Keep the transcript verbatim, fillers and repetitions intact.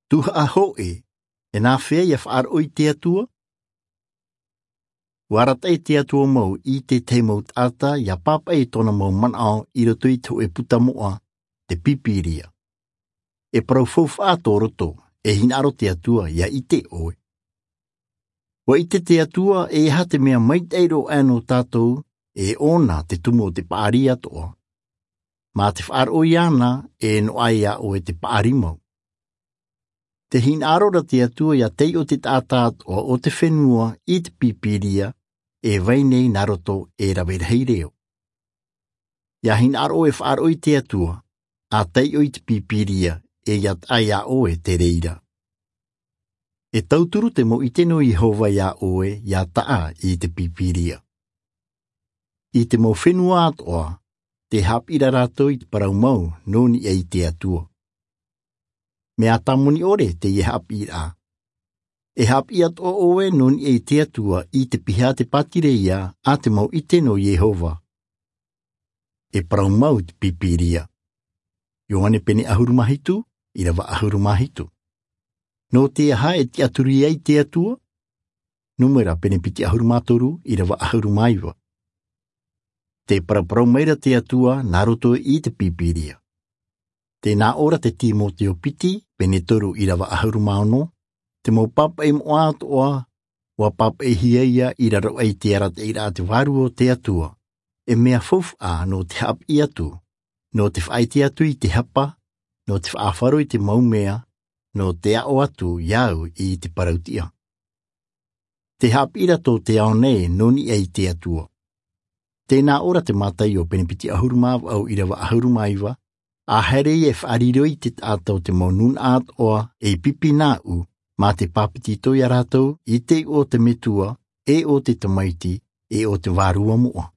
Tuhaʻa hoʻi, e nā hea ia faʻaroʻo i te Atua? Ua arataʻi te Atua mau i te tahi mau taʻata ia pāpaʻi i tōna mau manaʻo i roto i te hoʻe puta moʻa, te Pīpīria. E parau faufaʻa tō roto, e hinaʻaro te Atua ia ʻite ʻoe. Ua ʻite te Atua e aha te mea maitaʻi roa aʻe nō tātou, e ʻōna te tumu o te paʻari atoʻa. Mā te faʻaroʻo iāna, e noaʻa iā ʻoe te paʻari mau. Te hinaʻaro ra te Atua ia taiʻo te taʻata atoʻa o te fenua i te Pīpīria, e vai nei nā roto e rave rahi reo. Ia hinaʻaro e faʻaroʻo i te Atua, a taiʻo i te Pīpīria, e ia taʻa iā ʻoe te reira. E tauturu te mau ʻite nō Iehova iā ʻoe ia taʻa i te Pīpīria. I te mau fenua atoʻa, tē haʻapiʻi ra rātou i te parau mau nō niʻa i te Atua. Mea tāmoni ʻore teie haʻapiʻiraʻa. E haʻapiʻi atoʻa ʻoe nō niʻa i te Atua i te piha a te pātireia a te mau ʻite nō Iehova. E parau mau te Pīpīria. Ioane pene ʻahuru mā hitu, ʻīrava ʻahuru mā hitu. Nō te aha e tiʻaturi ai te Atua? Nūmera pene piti ʻahuru mā toru, ʻīrava ʻahuru mā iva. Tē paraparau mai ra te Atua nā roto i te Pīpīria. Tē nā ʻō ra te Timoteo piti, pene toru, ʻīrava ʻahuru mā ono, te mau pāpaʻi moʻa atoʻa, ua pāpaʻihia ia i raro aʻe i te arataʻiraʻa a te Vārua o te Atua, e mea faufaʻa nō te haʻapiʻi atu, nō te faʻaʻite atu i te hapa, nō te faʻaʻāfaro i te mau mea, nō te aʻo atu ia au i te parau tiʻa. Tē haʻapiʻi ra tō te ao nei nō niʻa i te Atua. Tē nā ʻō ra te Mātaio pene piti ʻahuru mā vaʻu, ʻīrava ʻahuru mā iva, ʻa haere ia e faʻariro i te taʻata o te mau nūnaʻa atoʻa ei pipi nāʻu, mā te pāpetito ia rātou i te iʻoa o te Metua, e o te Tamaiti, e o te Vārua moʻa.